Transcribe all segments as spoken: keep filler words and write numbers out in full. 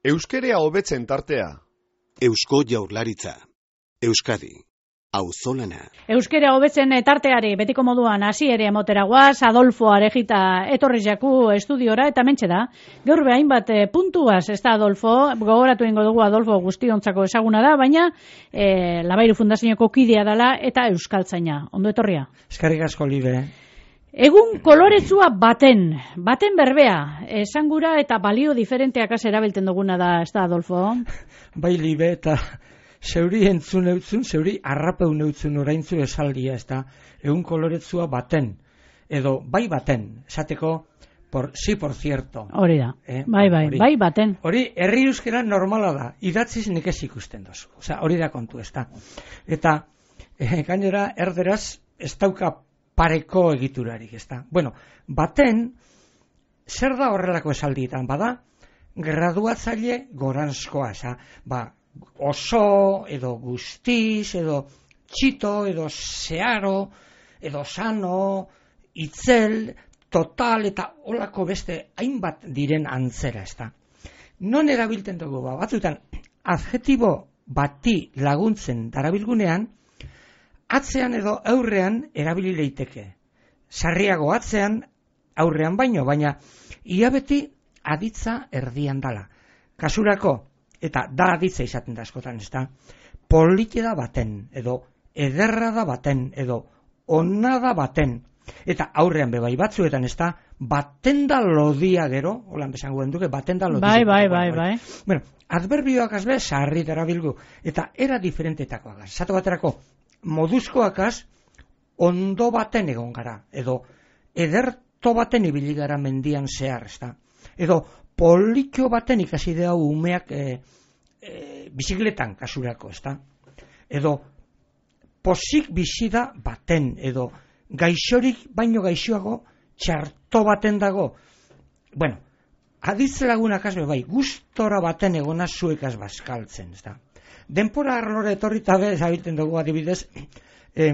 Euskerea hobetzen tartea. Eusko Jaurlaritza. Euskadi. Auzolana. Euskera hobetzen tarteari betiko moduan hasi ere emotera guaz, Adolfo Arejita etorri jaku estudiora eta mentxe da. Gaur behain bat e, puntuaz, ez da Adolfo, gogoratu ingo dugu Adolfo guztiontzako ezaguna da, baina e, Labairu Fundazioko kidea dela eta euskaltzaina. Ondo etorria? Eskerrik asko, Libe. Egun koloretsua baten, baten berbea, esangura eta balio diferenteak az erabiltzen duguna da, ez da Adolfo? Bai, Libe, eta zeuri entzun eutzun, zeuri arrapeun eutzun oraintzu esaldia, ez da, egun koloretsua baten, edo bai baten, esateko, por, sí, por cierto. Hori da, eh? bai, bai, hori, bai baten. Hori, herri euskera normala da, idatziz nekez ikusten dozu, osea, hori da kontu, ez da. Eta, eh, gainera, erderaz, ez dauka pareko egiturarik, ez da. Bueno, baten, zer da horrelako esaldietan, bada, graduatzaile goranzkoa, eza, ba, oso, edo guztiz, edo txito, edo zeharo, edo sano, itzel, total, eta holako beste hainbat diren antzera, ez da. Non erabilten dugu, ba, batzutan, adjetibo bati laguntzen darabilgunean, atzean edo aurrean erabili leiteke. Sarriago atzean, aurrean baino, baina ia beti aditza erdian dala. Kasurako, eta da aditza izaten da askotan, ez da, polite da baten, edo ederra da baten, edo ona da baten, eta aurrean bebai batzuetan, ez da, baten da lodia gero, holan besango duke, baten da lodia. Bai, bai, bai, bai. Bueno, adverbioak azbe, sarri darabilgu, eta era diferentetakoak az. Zato baterako, moduzkoak az, ondo baten egon gara, edo ederto baten ibili gara mendian zehar, ez da, edo politxo baten ikasi dea umeak e, e, bizikletan kasurako, ez da? Edo posik bizida baten, edo gaixorik baino gaixoago txarto baten dago. Bueno, aditz lagunak azbe bai, gustora baten egona zuekaz bazkaltzen, ez da? Denpora arlore etorrita be, zabilten dugu adibidez, e,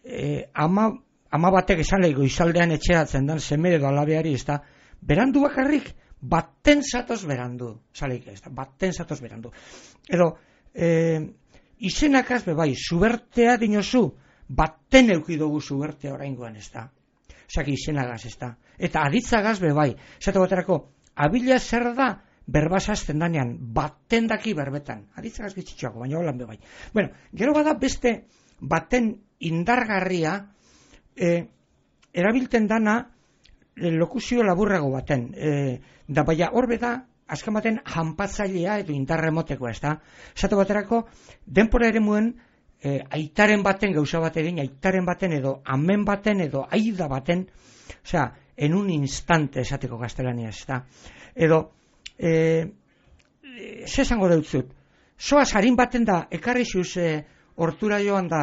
e, ama, ama batek esan lehi goizaldean etxeratzen dan seme edo alabeari, ez da? Berandu bakarrik, baten zatoz berandu, zaleik ez da, baten zatoz berandu. Edo, e, izenakaz bebai, zubertea dinozu, baten eukidugu zubertea oraingoan ez da. Osaki izenagaz ez da. Eta aditzagaz bebai, zato baterako, abila zer da, berbaz azten danean, baten daki berbetan. Aditzagaz gitzitxoako, baina holan bebai. Bueno, gero bada beste baten indargarria, e, erabilten dana, lokuzio laburrago baten, e, da baina horbe da, azken baten janpatzailea edo indarremoteko, ez da? Zato baterako, denpora ere muen, e, aitaren baten gauza bat egin, aitaren baten edo amen baten edo aida baten, osea, en un instante esateko gaztelania, ez da? Edo, e, ze esango deutzut, soaz harin baten da, ekarri zuz, e, hortura joan da,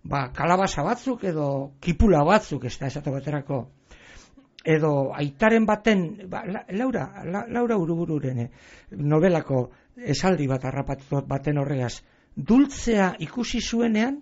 ba, kalabaza batzuk edo kipula batzuk, ez da, esate baterako, edo aitaren baten, ba, la, Laura, la, Laura Urubururen eh, novelako esaldi bat harrapatu baten horregaz, dultzea ikusi zuenean,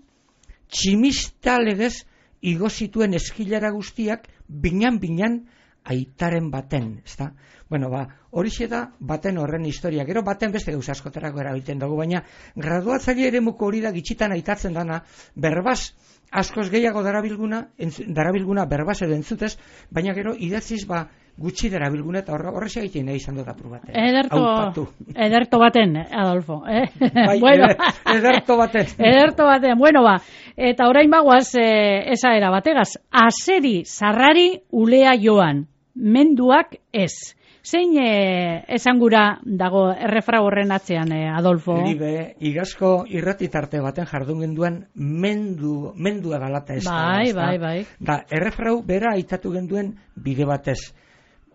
tximista legez igo zituen eskilara guztiak, binan-binan aitaren baten, ezta? Bueno, ba, horixe da baten horren historia, gero baten beste gauza askotarako erabiltzen dugu, baina graduatzaile eremuko hori da gitxitan aitatzen dana, berbaz, askoz gehiago darabilguna, entz, darabilguna berbaz edo entzutez, baina gero idatziz ba gutxi darabilguna eta horrexea egiten nahi izan dut apur baten. Ederto, ederto baten, Adolfo. Eh? Bai, bueno. ederto baten. Ederto baten, bueno ba, eta orain bagoaz eh, esa era bategaz, azeri zarrari ulea joan, menduak ez. Zein e, esangura dago errefra horren atzean, e, Adolfo? Libe, igazko irratitarte baten jardun genduen mendu, mendua galata ez. Bai, da, bai, bai. Da, errefrau bera aitatu genduen bide batez.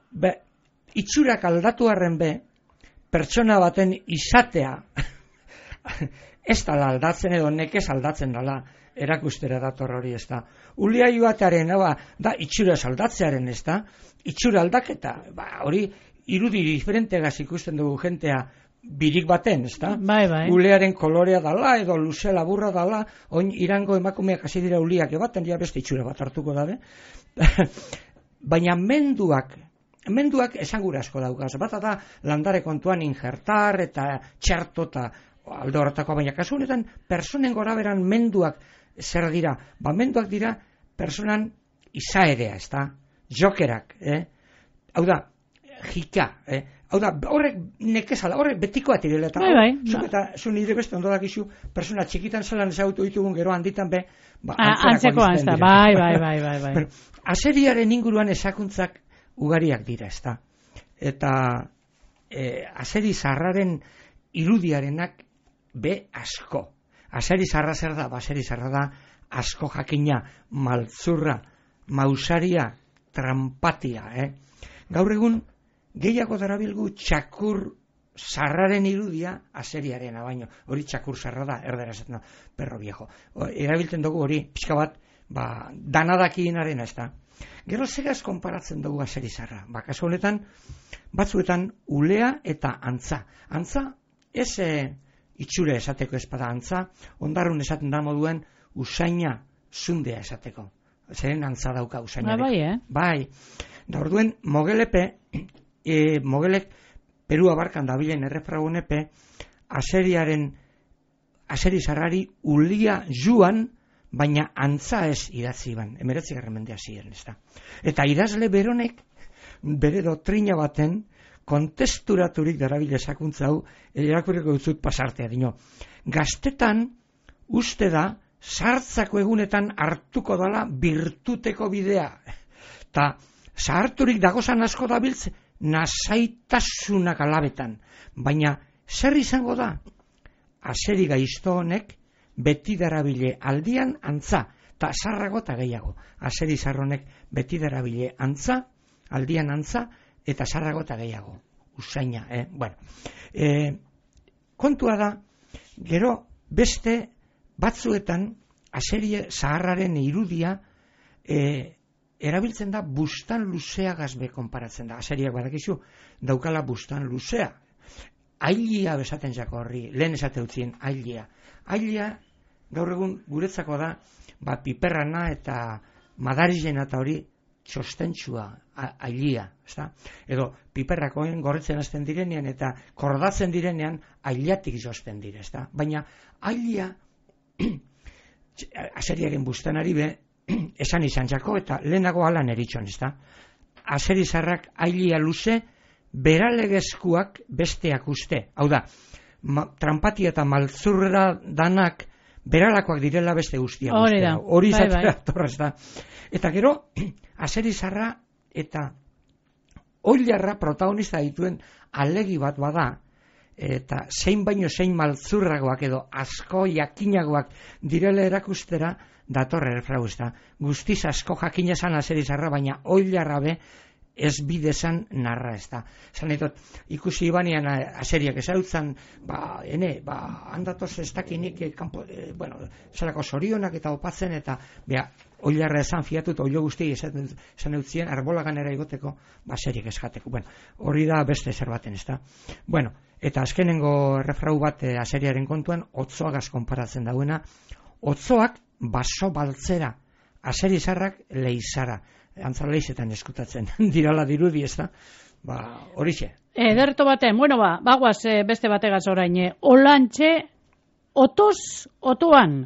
Be, itxurak aldatu arren be, pertsona baten izatea, ez dala aldatzen edo nekez aldatzen dala, erakustera dator hori ez da. Ulia joatearen, da, itxura aldatzearen ez da, itxura aldaketa, ba, hori irudi diferentegaz ikusten dugu jentea birik baten, ez da? Bai, bai. Ulearen kolorea dala, edo luze laburra dala, oin irango emakumeak hasi dira uliak ebaten, ja beste itxura bat hartuko dabe. Baina menduak menduak esangura asko daukaz. Bata da landare kontuan injertar eta txerto eta alde horretako, baina kasu honetan personen goraberan menduak zer dira? Ba, menduak dira personan izaerea, ez da? Jokerak, eh? Hau da, jika, eh? Hau da, horrek nekezala, horrek betikoa tirela, eta bai, bai, zuk eta zu nire beste ondo dakizu, persona txikitan zelan ezagutu ditugun gero handitan be, ba, antzekoa ez da, bai, bai, bai, bai, bai. Bueno, azeriaren inguruan esakuntzak ugariak dira, ez da? Eta eh, azeri zarraren irudiarenak be asko. Azeri zarra zer da, azeri zarra da asko jakina, maltzurra, mausaria, trampatia, eh? Gaur egun, gehiago darabilgu txakur zarraren irudia azeriarena baino. Hori txakur zarra da, erdera esaten da, perro viejo. Erabiltzen dugu hori, pixka bat, ba, danadakienarena ez da. Gero segaz konparatzen dugu azeri zarra. Ba, kasu honetan, batzuetan ulea eta antza. Antza, ez e, itxure esateko espada antza, ondarrun esaten da moduen usaina zundea esateko. Zeren antza dauka usainarek. Bai, eh? Bai. Da orduen, mogelepe, e, mogelek Perua barkan dabilen errefragunepe, azeriaren, azeri zarrari ulia juan, baina antza ez idatzi ban. Emeretzi garramendea ziren, ez da. Eta idazle beronek, bere doktrina baten, kontesturaturik darabile sakuntza hau, erakurriko dutzut pasartea dino. Gaztetan, uste da, sartzako egunetan hartuko dala birtuteko bidea. Ta, zaharturik dagozan asko dabiltz, nasaitasunak alabetan. Baina, zer izango da? Azeri gaizto honek, beti darabile aldian antza, ta zarrago eta gehiago. Azeri zarronek beti darabile antza, aldian antza, eta zarrago eta gehiago. Usaina, eh? Bueno, eh, kontua da, gero beste batzuetan, azeri zaharraren irudia, eh, erabiltzen da bustan luzea gazbe konparatzen da. Azeriak badakizu, daukala bustan luzea. Ailia besaten jako horri, lehen esate utzien, ailia. Ailia, gaur egun guretzako da, ba, piperrana eta madarizena eta hori txostentsua, ailia. Ezta? Edo, piperrakoen gorritzen hasten direnean eta kordatzen direnean, ailiatik josten dire. Ezta? Baina, ailia, azeriaren bustanari be, esan izan jako, eta lehenago alan eritxon, ez da? Azeri zarrak ailia luze, beralegezkuak besteak uste. Hau da, ma, trampatia eta maltzurra danak beralakoak direla beste guztiak uste. Hori bai, izatera bai. torrez da. Eta gero, azeri zarra eta oilarra protagonista dituen alegi bat bada, eta zein baino zein maltzurragoak edo asko jakinagoak direla erakustera, datorre erfrau ez da. Guztiz asko jakina zan azeri zarra, baina oilarra be ez bidezan narra ez da. Zan etot, ikusi ibanian azeriak ezautzen, ba, ene, ba, handatoz ez dakinik, eh, kampo, eh, bueno, zelako zorionak eta opatzen, eta, bea, oilarra esan fiatut, oilo guzti esan, esan eutzien, arbolagan era igoteko, ba, azeriak ez jateko. Bueno, hori da beste zer baten ez da. Bueno, eta azkenengo errefrau bat eh, azeriaren kontuan, otzoagaz konparatzen dauena, otzoak baso baltzera, azeri zarrak leizara. Antza leizetan eskutatzen dirala dirudi, ez da? Ba, horixe. Ederto baten, bueno ba, bagoaz e, beste bategaz orain. E, olantxe, otoz, otoan,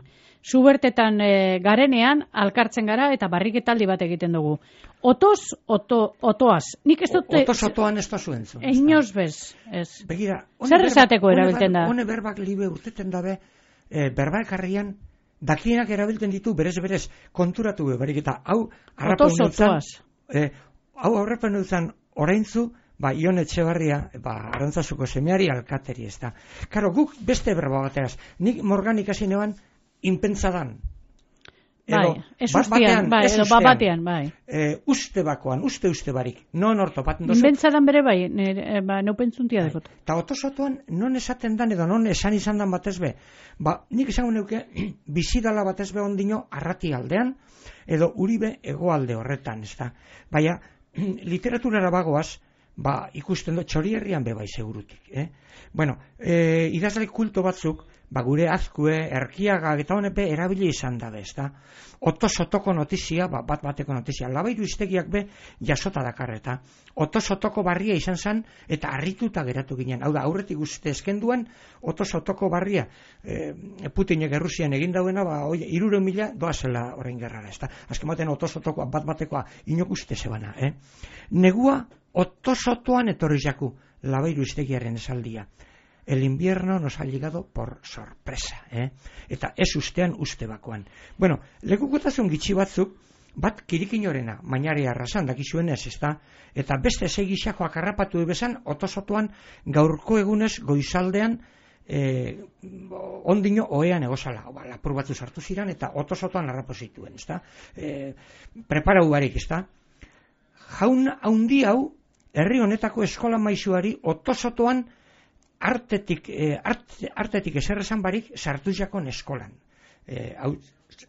zubertetan e, garenean, alkartzen gara eta barriketaldi bat egiten dugu. Otoz, oto, otoaz. Nik ez dute... Otoz, otoan ez da zuen zuen. Inoz bez, ez. Begira, zer esateko erabiltzen da? Hone berbak libe urteten dabe, e, berba ekarrian, dakienak erabiltzen ditu, berez-berez, konturatu bebarik, eta hau harrapen dutzen, eh, hau harrapen dutzen oraintzu, ba, Ion Etxebarria, ba, Arantzazuko semeari alkateri, ez da. Karo, guk beste berba bateaz, nik morgan ikasi neban, inpentsadan. Bai, ez ustean, bai, edo babatean, bai. E, uste bakoan, uste uste barik, non ortopaten dozu. Inbentsadan bere bai, nire, ba, neupentzuntia bai. Dekot. Ta otosotuan, non esaten dan, edo non esan izan dan batez be, ba, nik esango neuke, bizidala batez be ondino, arrati aldean, edo uribe egoalde horretan, ez da. Baina, literaturara bagoaz, ba, ikusten do, txori herrian be bai segurutik, eh? Bueno, e, idazle kulto batzuk, ba gure azkue, erkiaga eta honepe erabili izan dabe, ezta? Oto-sotoko notizia, ba, bat bateko notizia, Labairu iztegiak be jasota dakarreta. Oto-sotoko barria izan zen, eta harrituta geratu ginen. Hau da, aurretik uste eskenduan, oto-sotoko barria, e, Putinek Errusian egin dauena, ba, oi, iruro mila doazela orain gerrara, ezta? Azken baten oto-sotokoa, bat batekoa, inok uste zebana, eh? Negua, oto-sotoan etorri jaku, Labairu iztegiaren esaldia. El invierno nos ha llegado por sorpresa, eh? Eta ez ustean uste bakoan. Bueno, lekukotasun gitxi batzuk, bat kirikinorena, mainari arrasan, dakizuen ez, ezta? Eta beste segixakoak harrapatu ebezan, otosotuan gaurko egunez goizaldean, eh, ondino oean egozala, ba, lapur batzu sartu ziran, eta otosotuan harrapo zituen, ezta? Eh, preparau barik, ezta? Jaun haundi hau, herri honetako eskola maisuari otosotuan artetik, eh, art, artetik eserrezan barik sartu jakon eskolan. Eh, hau,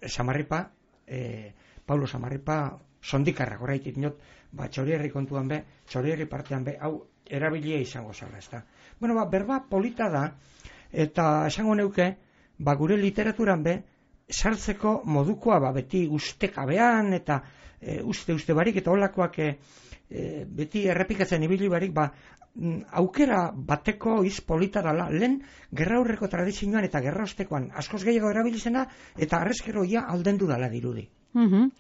Samarripa, eh, Paulo Samarripa, sondikarra, goraitit not, ba, txorierri kontuan be, txorierri partean be, hau, erabilia izango zara, ez da. Bueno, ba, berba polita da, eta esango neuke, ba, gure literaturan be, sartzeko modukoa, ba, beti ustekabean, eta e, uste-uste barik, eta holakoak e, e, beti errepikatzen ibili barik, ba, aukera bateko iz polita dala, lehen gerra aurreko tradizioan eta gerra ostekoan askoz gehiago erabilizena, eta arrezkero ia aldendu dala dirudi. Mm-hmm.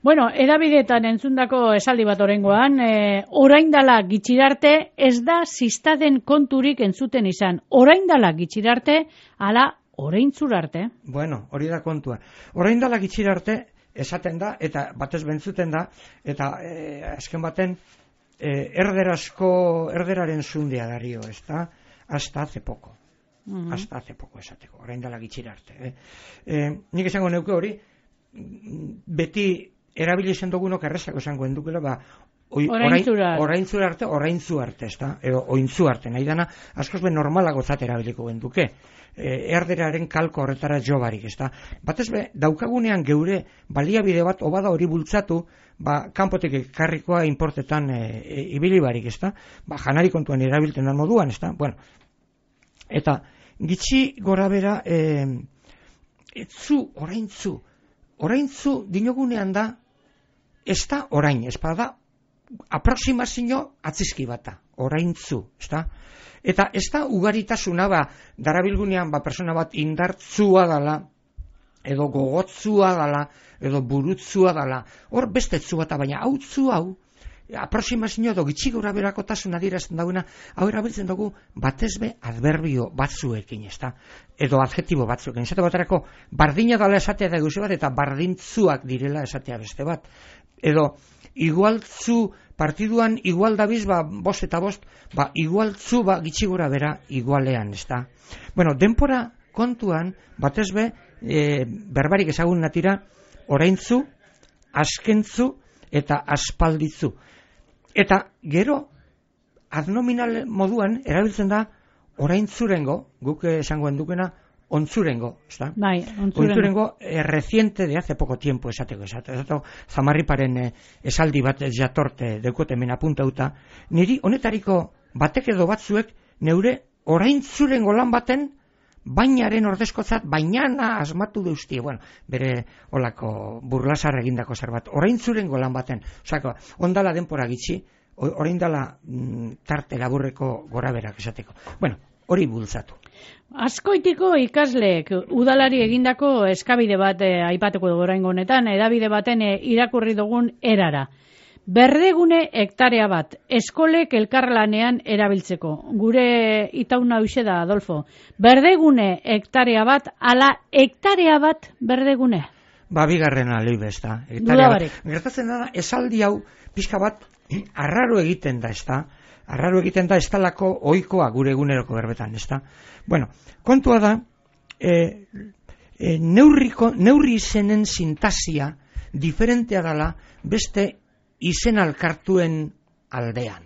Bueno, edabideetan entzundako esaldi bat orengoan, e, orain dala gitxirarte ez da ziztaden konturik entzuten izan. Orain dala gitxirarte, ala oraintzurarte. Bueno, hori da kontua. Orain dala gitxirarte esaten da, eta batez bentzuten da, eta e, azken baten, Eh, erderazko, erderaren zundea dario, ez da, hasta hace poco. Mm-hmm. Hasta hace poco esateko, orain dala gitxira arte. Eh? Eh, nik esango neuke hori, beti erabili izan dugunok errezako esango endukela, ba, oraintzura arte, oraintzu arte, ez da, edo ointzu arte, nahi dana, askoz be normalago zat erabiliko genduke. Eh, erderaren kalko horretara jo barik, ez da. Batez be, daukagunean geure baliabide bat, obada hori bultzatu, ba, kanpotik ekarrikoa importetan e, e, ibili barik, ez da. Ba, janari kontuan erabilten dan moduan, ez da. Bueno, eta gitxi gora bera, e, etzu, oraintzu, oraintzu dinogunean da, ez da orain, ez da, aproximazio atzizki bata, oraintzu, ez da. Eta ez da ugaritasuna, ba, darabilgunean, ba, persona bat indartzua dala, edo gogotzua dala, edo burutzua dala, hor bestetzu bat, baina hau tzu hau, aproximazio edo gitxi gora berakotasun adierazten dagoena, hau erabiltzen dugu batezbe adverbio batzuekin, ez da, edo adjetibo batzuekin, esate baterako, bardina dala esatea da gauze bat, eta bardintzuak direla esatea beste bat, edo igualtzu partiduan igual dabiz, ba, bost eta bost, ba, igualtzu, ba, gitxi gora bera igualean, ez da. Bueno, denpora kontuan, batezbe, e, berbarik ezagun natira, oraintzu, askentzu, eta aspalditzu. Eta gero, adnominal moduan, erabiltzen da, oraintzurengo, guk esango endukena, ontzurengo, ¿está? Bai, ontzurengo. Ontzurengo eh, reciente de hace poco tiempo, esateko, esateko, esateko Zamarriparen eh, esaldi bat jatorte deukot hemen apuntauta, niri honetariko batek edo batzuek neure oraintzurengo lan baten bainaren ordezkotzat bainana asmatu deustie, bueno, bere olako burlasar egindako zerbait, oraintzurengo lan baten, osako, ondala denpora gitxi, orain dala mm, tarte laburreko goraberak esateko. Bueno, hori bultzatu. Azkoitiko ikasleek udalari egindako eskabide bat eh, aipatuko dugu oraingo honetan, edabide baten eh, irakurri dugun erara. Berdegune hektarea bat, eskolek elkarlanean erabiltzeko. Gure itauna hoxe da, Adolfo. Berdegune hektarea bat, ala hektarea bat berdegune. Ba, bigarren alibe, ez da. Gertatzen da, esaldi hau, pixka bat, arraro egiten da, ez da. Arraro egiten da, ez talako oikoa gure eguneroko berbetan, ez da. Bueno, kontua da, e, e, neurriko, neurri izenen sintasia diferentea dala beste izen alkartuen aldean.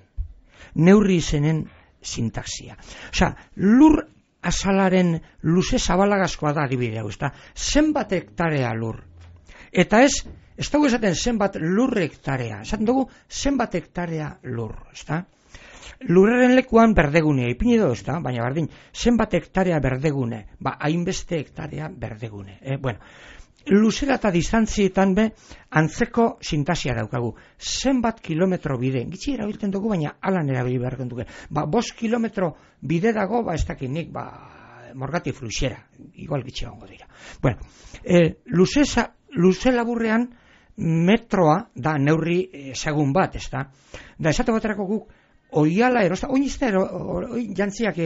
Neurri izenen sintaxia. Osea, lur azalaren luze zabalagazkoa da adibide hau, ez da. Zenbat hektarea lur. Eta ez, ez dugu esaten zenbat lur hektarea. Esaten dugu zenbat hektarea lur, ez da. lurraren lekuan berdegunea ipini do, ezta? Baina berdin, zenbat hektarea berdegune? Ba, hainbeste hektarea berdegune. Eh? Bueno, luzera eta distantzietan be, antzeko sintasia daukagu. Zenbat kilometro bide, gitzi erabiltzen dugu, baina alan erabili behar dugu. Ba, bost kilometro bide dago, ba, ez dakit nik, ba, morgati fluxera, igual gitzi gongo dira. Bueno, eh, luzeza, luze laburrean, metroa da neurri ezagun bat, ez da? Da, esate baterako guk, oiala erosta, oin izte, oin jantziak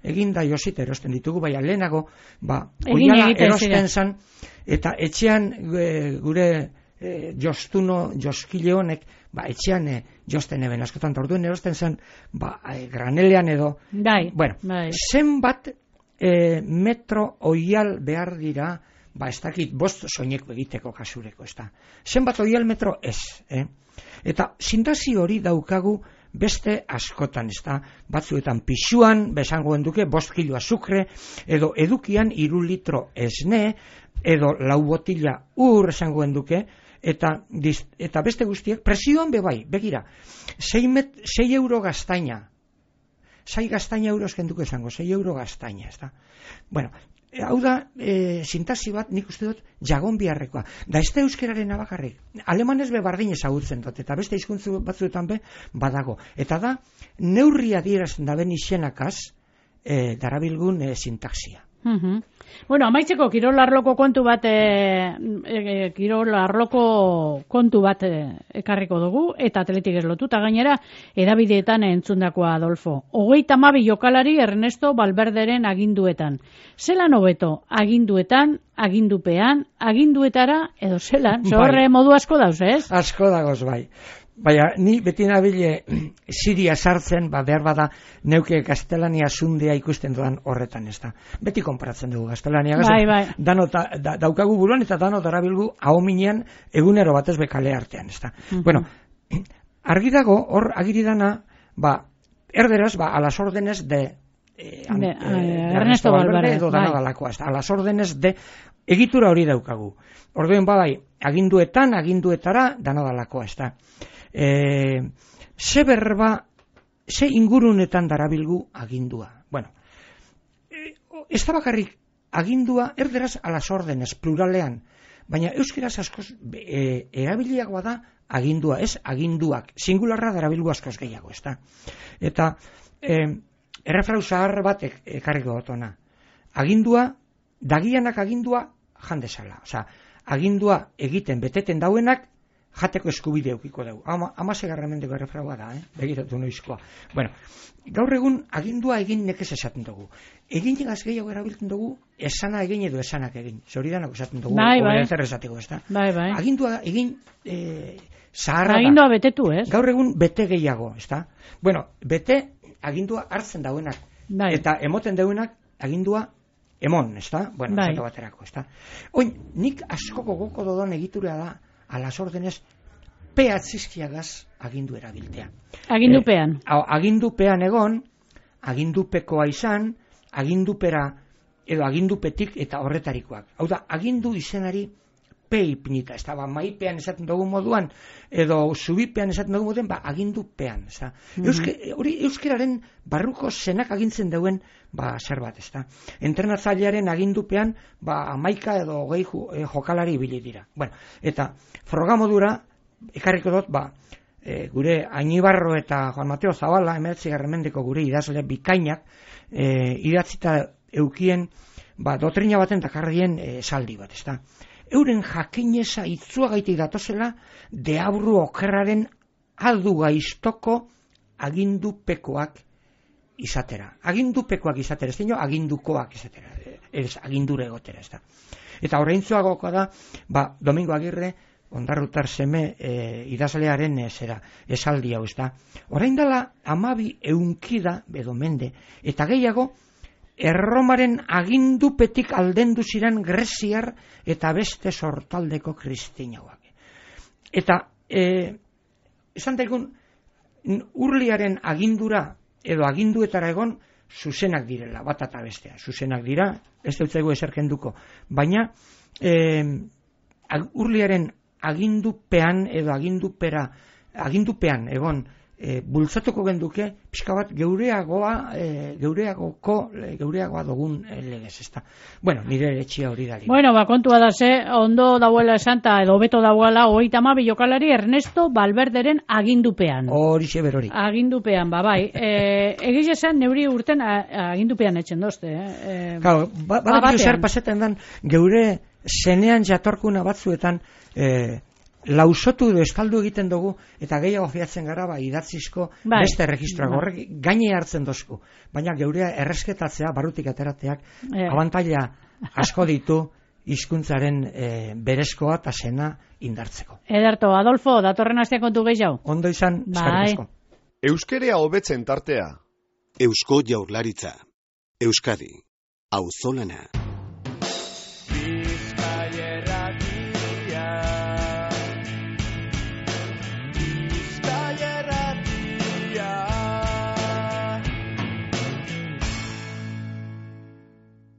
eginda josit erosten ditugu, baina lehenago, ba, oiala erosten zan, eta etxean e, gure e, jostuno, joskile honek, ba, etxean e, josten eben askotan, orduen erosten zan, ba, e, granelean edo, bai, bueno, bai. zenbat e, metro oial behar dira, ba, ez dakit, bost soineko egiteko kasureko, ez da. Zenbat oial metro ez, eh? Eta sintasi hori daukagu beste askotan, ez da. Batzuetan pixuan, besangoen duke, bost kilo azukre, edo edukian iru litro esne, edo lau botila ur esangoen duke, eta, eta beste guztiek, presioan bebai, begira, sei euro gaztaina, sei gaztaina euro eskenduko esango, sei euro gaztaina, ez da. Bueno, hau da, e, sintasi bat, nik uste dut, jagon biharrekoa. Da ez da euskeraren abakarrik. Alemanez be bardin ezagutzen dut, eta beste hizkuntzu batzuetan be badago. Eta da, neurria dierazten da ben izenakaz, e, darabilgun e, sintaxia. Uh-huh. Bueno, amaitzeko kirol arloko kontu bat e, e, kirol arloko kontu bat e, ekarriko dugu eta atletik ez lotuta gainera edabideetan entzundakoa Adolfo. Hogeita hamabi jokalari Ernesto Valverderen aginduetan. Zelan hobeto aginduetan, agindupean, aginduetara edo zelan? Zorre bai. Modu asko dauz, ez? Asko dagoz, bai. Baina, ni beti nabile Siria sartzen, ba, behar bada neuke gaztelania zundea ikusten dudan horretan, ez da. Beti konparatzen dugu gaztelania gazten. Bai, bai. Dano ta, da, daukagu buruan eta dano darabilgu ahominean egunero batez bekale artean, ez da. Uh-huh. Bueno, argi dago, hor agiridana, ba, erderaz, ba, a las órdenes de, eh, an, de, eh, de Ernesto Valverde, edo dana bai. dalakoa, ez da. A las órdenes de, egitura hori daukagu. Orduen badai, aginduetan, aginduetara, dana dalakoa, ez da. E, ze berba, ze ingurunetan darabilgu agindua. Bueno, e, ez da bakarrik agindua erderaz a las órdenes, pluralean, baina euskeraz askoz e, erabiliagoa da agindua, ez aginduak, singularra darabilgu askoz gehiago, ez da. Eta e, errefrau zahar bat ekarriko gotona. Agindua, dagianak agindua jandezala. Osa, agindua egiten beteten dauenak jateko eskubide eukiko dugu. Ama, amasegarra mendeko errefraua da, eh? Begiratu noizkoa. Bueno, gaur egun agindua egin nekez esaten dugu. Egin egaz gehiago erabiltzen dugu, esana egin edo esanak egin. Zoridanak esaten dugu, bai, bai. zer esateko, ez da? Bai, bai. Agindua egin e, zaharra agindua da. betetu, ez? Gaur egun bete gehiago, ez da? Bueno, bete agindua hartzen dauenak. Bai. Eta emoten dauenak agindua emon, ez da? Bueno, bai. zato baterako, ez da? Oin, nik askoko goko dodon egitura da, a las órdenes peatzizkiagaz agindu erabiltea. Agindupean. E, agindupean egon, agindupekoa izan, agindupera edo agindupetik eta horretarikoak. Hau da, agindu izenari pe ipinita, ez da, ba, maipean esaten dugu moduan, edo zubipean esaten dugu moduan, ba, agindupean, ez da. Mm-hmm. Euske, hori euskeraren barruko zenak agintzen duen, ba, zer bat, ez da. Entrenatzailearen agindupean, ba, amaika edo gehi eh, jokalari ibili dira. Bueno, eta frogamodura, ekarriko dut, ba, e, gure Ainibarro eta Juan Mateo Zabala, emeretzi garramendeko gure idazle bikainak, e, idatzita eukien, ba, dotrina baten dakarrien e, saldi bat, ez da. Euren jakineza itzuagaitik datozela deabru okerraren aldu gaiztoko agindupekoak izatera. Agindupekoak izatera, ez dino agindukoak izatera, ez agindure egotera, ez da. Eta oraintzuagokoa da, ba, Domingo Agirre, Ondarrutar seme e, idazlearen e, zera, esaldi hau, ez da. Orain dela amabi eunkida, edo mende, eta gehiago, Erromaren agindupetik aldendu ziren greziar eta beste sortaldeko kristinauak. Eta, e, esan daigun, urliaren agindura edo aginduetara egon zuzenak direla, bat eta bestea. Zuzenak dira, ez dutzaigu eserkenduko. Baina, e, urliaren agindupean edo agindupera, agindupean egon e, bultzatuko genduke pixka bat geureagoa e, geureagoko e, geureagoa dugun e, legez, ezta. Bueno, nire etxia hori da. Bueno, ba, kontua da ze, ondo dauela esanta edo beto dauela hogeita hamabi jokalari Ernesto Valverderen agindupean. Horixe berori. Agindupean, ba, bai. E, egiz esan neuri urten a, agindupean etxen dozte, eh? E, Claro, ba, ba, ba zer pasetan dan, geure zenean jatorkuna batzuetan e, lausotu edo estaldu egiten dugu, eta gehiago fiatzen gara, ba, idatzizko bai. Beste registroak bai. Horrek gaine hartzen dozku. Baina geurea erresketatzea, barutik aterateak, e. abantaila asko ditu hizkuntzaren e, berezkoa eta zena indartzeko. Ederto, Adolfo, datorren astea kontu gehiago. Ondo izan, eskerrik asko. Euskerea hobetzen tartea. Eusko Jaurlaritza. Euskadi. Auzolana.